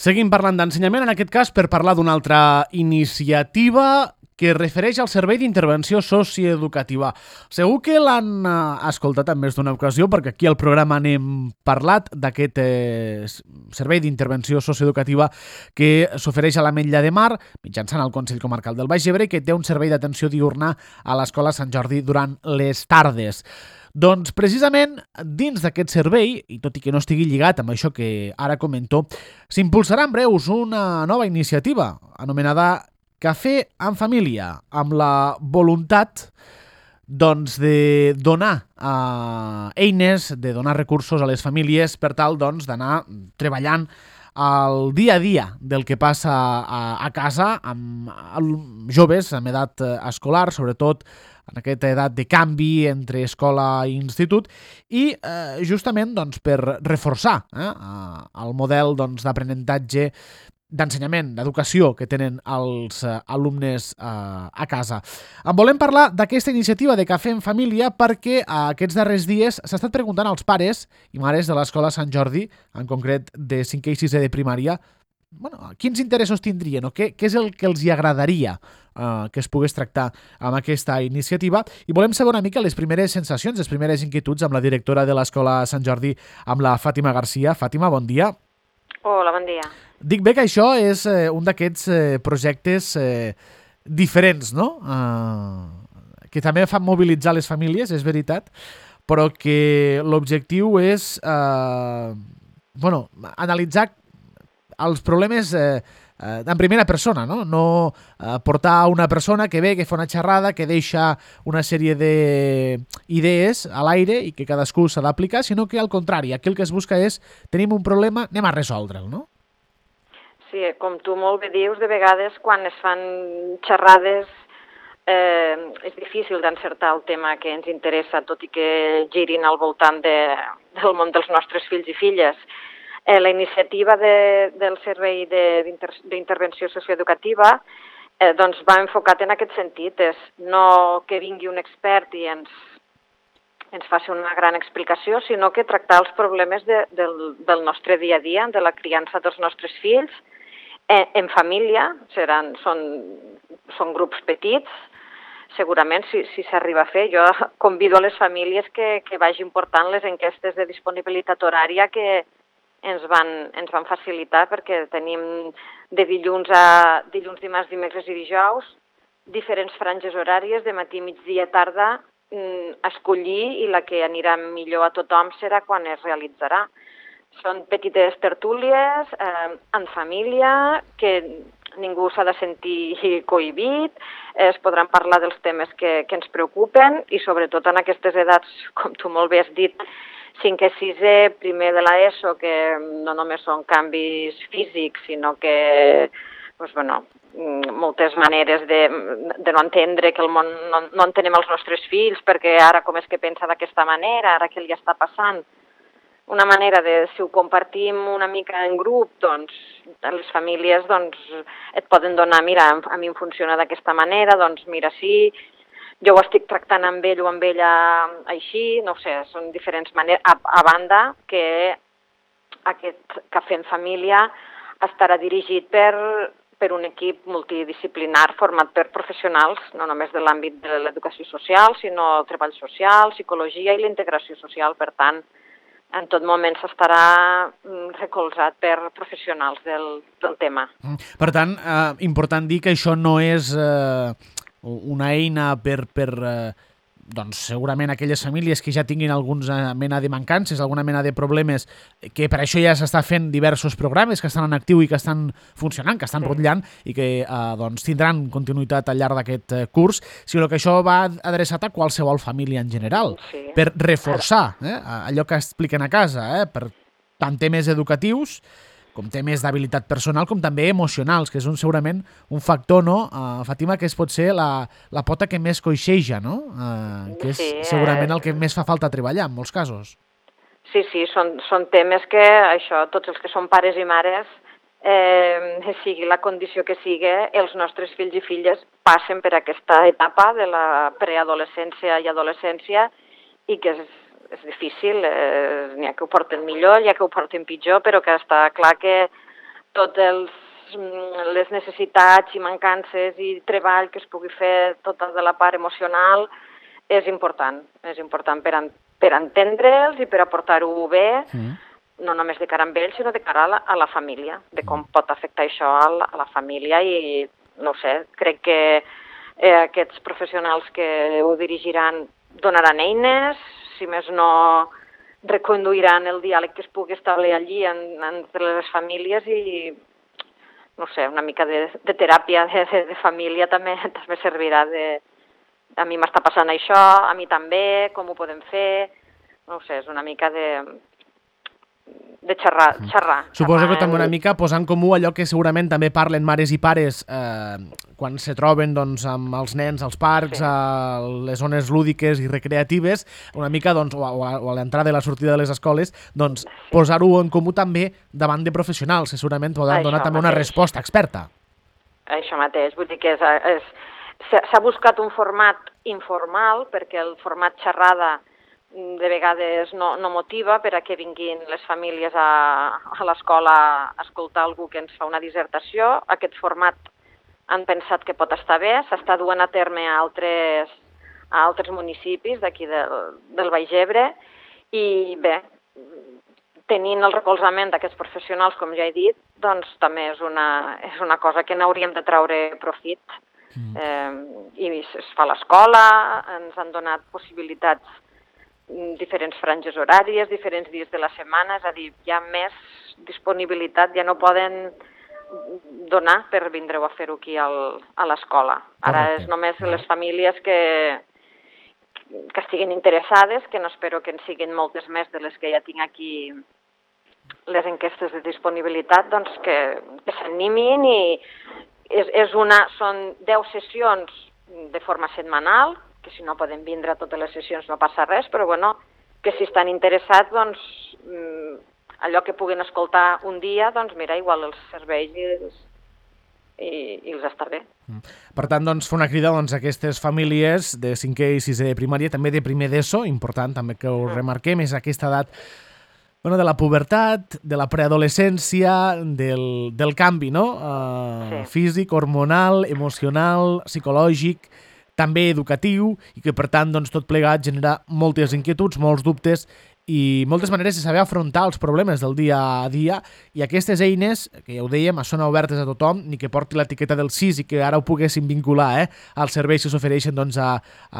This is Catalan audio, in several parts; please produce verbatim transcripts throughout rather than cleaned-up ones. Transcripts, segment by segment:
Seguim parlant d'ensenyament, en aquest cas per parlar d'una altra iniciativa que es refereix al servei d'intervenció socioeducativa. Segur que l'han eh, escoltat en més d'una ocasió, perquè aquí al programa n'hem parlat d'aquest eh, servei d'intervenció socioeducativa que s'ofereix a l'Ametlla de Mar, mitjançant el Consell Comarcal del Baix Ebre, que té un servei d'atenció diurna a l'Escola Sant Jordi durant les tardes. Doncs precisament dins d'aquest servei, i tot i que no estigui lligat amb això que ara comento, s'impulsarà en breus una nova iniciativa anomenada Cafè en Família, amb la voluntat doncs, de donar eh, eines, de donar recursos a les famílies per tal doncs, d'anar treballant el dia a dia del que passa a, a casa amb, amb joves amb edat escolar, sobretot en aquesta edat de canvi entre escola i institut, i eh, justament doncs, per reforçar eh, el model doncs, d'aprenentatge, d'ensenyament, d'educació que tenen els eh, alumnes eh, a casa. En volem parlar d'aquesta iniciativa de Cafè en Família perquè eh, aquests darrers dies s'ha estat preguntant als pares i mares de l'Escola Sant Jordi, en concret de cinquè i sisè de primària, bueno, quins interessos tindrien o què, què és el que els hi agradaria eh, que es pogués tractar amb aquesta iniciativa, i volem saber una mica les primeres sensacions, les primeres inquietuds amb la directora de l'Escola Sant Jordi, amb la Fàtima Garcia. Fàtima, bon dia. Hola, bon dia. Dic bé que això és eh, un d'aquests eh, projectes eh, diferents, no? Eh, que també fan mobilitzar les famílies, és veritat, però que l'objectiu és eh, bueno, analitzar els problemes eh, eh, en primera persona, no? No eh, portar una persona que ve, que fa una xerrada, que deixa una sèrie d'idees a l'aire i que cadascú s'ha d'aplicar, sinó que al contrari, aquí el que es busca és tenim un problema, anem a resoldre'l, no? Sí, com tu molt bé dius, de vegades quan es fan xerrades eh, és difícil d'encertar el tema que ens interessa, tot i que girin al voltant de, del món dels nostres fills i filles. Eh, la iniciativa de, del Servei d'Intervenció Socioeducativa eh, doncs va enfocat en aquest sentit, és no que vingui un expert i ens, ens faci una gran explicació, sinó que tractar els problemes de, del, del nostre dia a dia, de la criança dels nostres fills, eh, en família, seran, són, són grups petits, segurament si, si s'arriba a fer. Jo convido a les famílies que, que vagin portant les enquestes de disponibilitat horària que ens van, ens van facilitar, perquè tenim de dilluns a dilluns, dimarts, dimecres i dijous diferents franges horàries, de matí, migdia, tarda, escollir, i la que anirà millor a tothom serà quan es realitzarà. Són petites tertúlies eh, en família, que ningú s'ha de sentir cohibit, es podran parlar dels temes que, que ens preocupen, i sobretot en aquestes edats, com tu molt bé has dit, cinquè, sisè, primer de l'ESO, que no només són canvis físics, sinó que doncs, bueno, moltes maneres de, de no entendre que el món no, no entenem els nostres fills, perquè ara com és que pensa d'aquesta manera, ara què li està passant. Una manera de, si ho compartim una mica en grup, doncs les famílies doncs, et poden donar, mira, a mi em funciona d'aquesta manera, doncs mira, sí, jo ho estic tractant amb ell o amb ella així, no ho sé, són diferents maneres. A, a banda que aquest Cafè en Família estarà dirigit per per un equip multidisciplinar format per professionals, no només de l'àmbit de l'educació social, sinó treball social, psicologia i la integració social. Per tant, en tot moment s'estarà recolzat per professionals del, del tema. Per tant, eh, important dir que això no és eh, una eina per... per eh, doncs segurament aquelles famílies que ja tinguin alguna mena de mancances, alguna mena de problemes, que per això ja s'està fent diversos programes que estan en actiu i que estan funcionant, que estan rotllant i que eh, doncs, tindran continuïtat al llarg d'aquest eh, curs, sinó que això va adreçat a qualsevol família en general, sí, per reforçar eh, allò que expliquen a casa, eh, per tant temes educatius com temes d'habilitat personal, com també emocionals, que és un, segurament un factor, no, uh, Fàtima, que és potser la, la pota que més coixeja, no? Uh, que és sí, segurament el que més fa falta treballar, en molts casos. Sí, sí, són, són temes que, això, tots els que són pares i mares, eh, sigui la condició que sigui, els nostres fills i filles passen per aquesta etapa de la preadolescència i adolescència, i que és és difícil, eh, n'hi ha que ho porten millor, n'hi ha que ho porten pitjor, però que està clar que tots els les necessitats i mancances i treball que es pugui fer tota de la part emocional és important. És important per, en, per entendre'ls i per aportar-ho bé, mm. no només de cara amb ells, sinó de cara a la, a la família, de com pot afectar això a la, a la família i, no ho sé, crec que eh, aquests professionals que ho dirigiran donaran eines, si més no reconduiran el diàleg que es pugui establir allí en, entre les famílies i no sé, una mica de, de teràpia de, de, de família també, també servirà de... A mi m'està passant això, a mi també, com ho podem fer... No ho sé, és una mica de... de xerrar. xerrar Suposo que també una mica posar en comú allò que segurament també parlen mares i pares eh, quan se troben doncs, amb els nens als parcs, sí. a les zones lúdiques i recreatives, una mica doncs, o, a, o a l'entrada i la sortida de les escoles, doncs, sí. posar-ho en comú també davant de professionals, que segurament poden donar també una resposta experta. Això mateix, vull dir que és, és, s'ha buscat un format informal perquè el format xerrada de vegades no, no motiva per a que vinguin les famílies a, a l'escola a escoltar algú que ens fa una dissertació. Aquest format han pensat que pot estar bé, s'està duent a terme a altres, a altres municipis d'aquí del, del Baix Ebre i bé, tenint el recolzament d'aquests professionals, com ja he dit, doncs també és una, és una cosa que n'hauríem de traure profit. Mm. Eh, I es fa a l'escola, ens han donat possibilitats diferents franges horàries, diferents dies de la setmana, és a dir, hi ha més disponibilitat, ja no poden donar per vindre-ho a fer-ho aquí al, a l'escola. Ara és només les famílies que, que estiguin interessades, que no espero que en siguin moltes més de les que ja tinc aquí les enquestes de disponibilitat, doncs que, que s'animin i és, és una, són deu sessions de forma setmanal, que si no poden vindre a totes les sessions no passa res, però bueno, que si estan interessats, doncs, allò que puguin escoltar un dia, doncs mira, igual els serveix i, i, i els està bé. Per tant, doncs, fer una crida doncs, a aquestes famílies de cinquè i sisè de primària, també de primer d'ESO, important també que ho remarquem, és aquesta edat bueno, de la pubertat, de la preadolescència, del, del canvi, no? Uh, sí. Físic, hormonal, emocional, psicològic, també educatiu, i que per tant doncs, tot plegat genera moltes inquietuds, molts dubtes i moltes maneres de saber afrontar els problemes del dia a dia, i aquestes eines, que ja ho dèiem, són obertes a tothom, ni que porti l'etiqueta del sis i que ara ho poguessin vincular eh, als serveis que s'ofereixen doncs, a,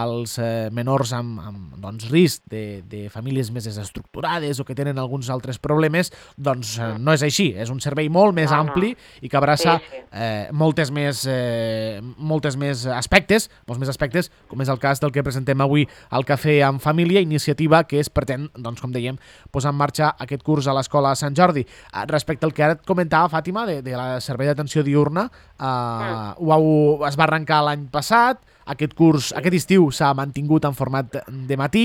als eh, menors amb, amb doncs, risc de, de famílies més desestructurades o que tenen alguns altres problemes, doncs eh, no és així, és un servei molt més no, ampli no. i que abraça sí, sí. Eh, moltes, més, eh, moltes més aspectes, molts més aspectes, com és el cas del que presentem avui al Cafè amb Família, iniciativa que es pretén, doncs, com dèiem, posar en marxa aquest curs a l'Escola Sant Jordi. Respecte al que ara et comentava, Fàtima, de, de la servei d'atenció diürna, eh, mm. ho, es va arrencar l'any passat, aquest curs, sí. aquest estiu s'ha mantingut en format de matí,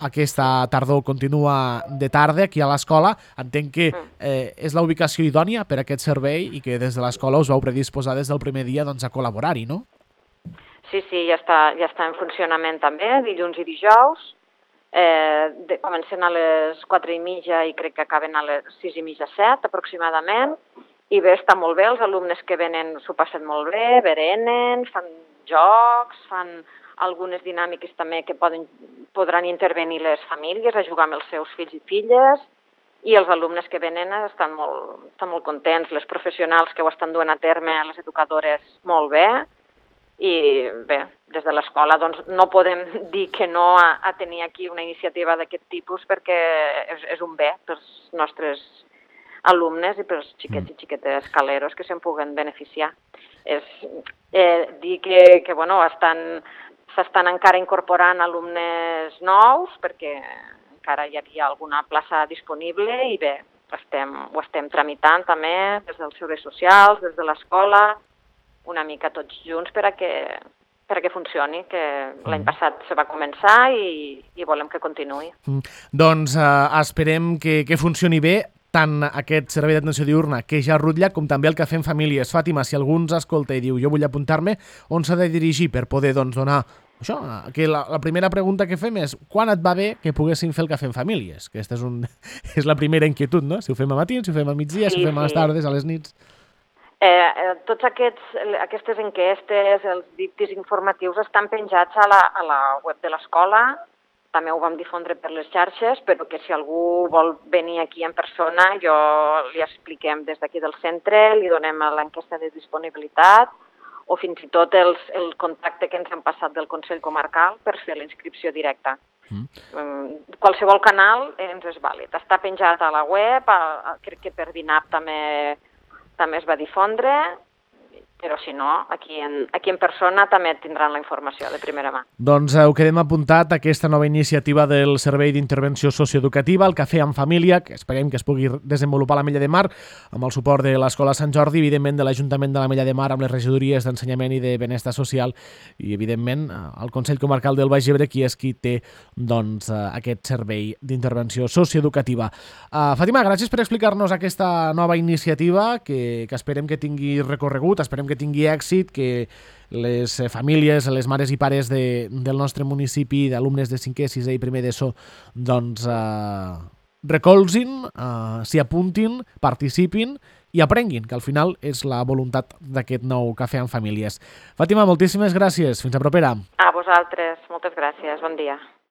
aquesta tardor continua de tarda aquí a l'escola. Entenc que eh, és la ubicació idònia per a aquest servei i que des de l'escola us vau predisposar des del primer dia doncs, a col·laborar-hi, no? Sí, sí, ja està, ja està en funcionament també, dilluns i dijous. Eh, de, comencen a les quatre i mitja i crec que acaben a les sis i mitja, set aproximadament, i bé, està molt bé, els alumnes que venen s'ho passen molt bé, berenen, fan jocs, fan algunes dinàmiques també que poden, podran intervenir les famílies a jugar amb els seus fills i filles, i els alumnes que venen estan molt, estan molt contents, les professionals que ho estan duent a terme, les educadores, molt bé. I bé, des de l'escola doncs, no podem dir que no a, a tenir aquí una iniciativa d'aquest tipus perquè és, és un bé pels nostres alumnes i pels xiquets i xiquetes caleros que se'n puguen beneficiar. És eh, dir que, que bueno, estan, s'estan encara incorporant alumnes nous perquè encara hi havia alguna plaça disponible i bé, estem, ho estem tramitant també des dels serveis socials, des de l'escola, una mica tots junts per a que, per a que funcioni, que l'any passat se va començar i, i volem que continuï. Mm. Doncs eh, esperem que, que funcioni bé tant aquest servei d'atenció diurna que ja rutlla com també el Cafè en Famílies. Fàtima, si algú ens escolta i diu jo vull apuntar-me, on s'ha de dirigir per poder doncs, donar això? Que la, la primera pregunta que fem és quan et va bé que poguessin fer el Cafè en Famílies? Aquesta és, un, és la primera inquietud, no? Si ho fem a matins, si ho fem a migdia, sí, si ho fem a les tardes, a les nits... Eh, eh, tots aquests, aquestes enquestes, els dictis informatius estan penjats a la, a la web de l'escola, també ho vam difondre per les xarxes, però que si algú vol venir aquí en persona, jo li expliquem des d'aquí del centre, li donem l'enquesta de disponibilitat, o fins i tot els, el contacte que ens han passat del Consell Comarcal per fer la inscripció directa. Mm. Um, qualsevol canal ens és vàlid. Està penjat a la web, a, a, crec que per DINAP també, també es va difondre, però si no, aquí en, aquí en persona també tindran la informació de primera mà. Doncs ho quedem apuntat, aquesta nova iniciativa del Servei d'Intervenció Socioeducativa, el Cafè en Família, que esperem que es pugui desenvolupar a l'Ametlla de Mar, amb el suport de l'Escola Sant Jordi, evidentment de l'Ajuntament de l'Ametlla de Mar, amb les regidories d'Ensenyament i de Benestar Social, i evidentment el Consell Comarcal del Baix Ebre, qui és qui té doncs, aquest servei d'intervenció socioeducativa. Uh, Fàtima, gràcies per explicar-nos aquesta nova iniciativa, que, que esperem que tingui recorregut, esperem que tingui èxit, que les famílies, les mares i pares de, del nostre municipi, d'alumnes de cinquè, sisè i primer d'ESO, doncs eh, recolzin, eh, s'hi apuntin, participin i aprenguin, que al final és la voluntat d'aquest nou Cafè en Famílies. Fàtima, moltíssimes gràcies. Fins a propera. A vosaltres, moltes gràcies. Bon dia.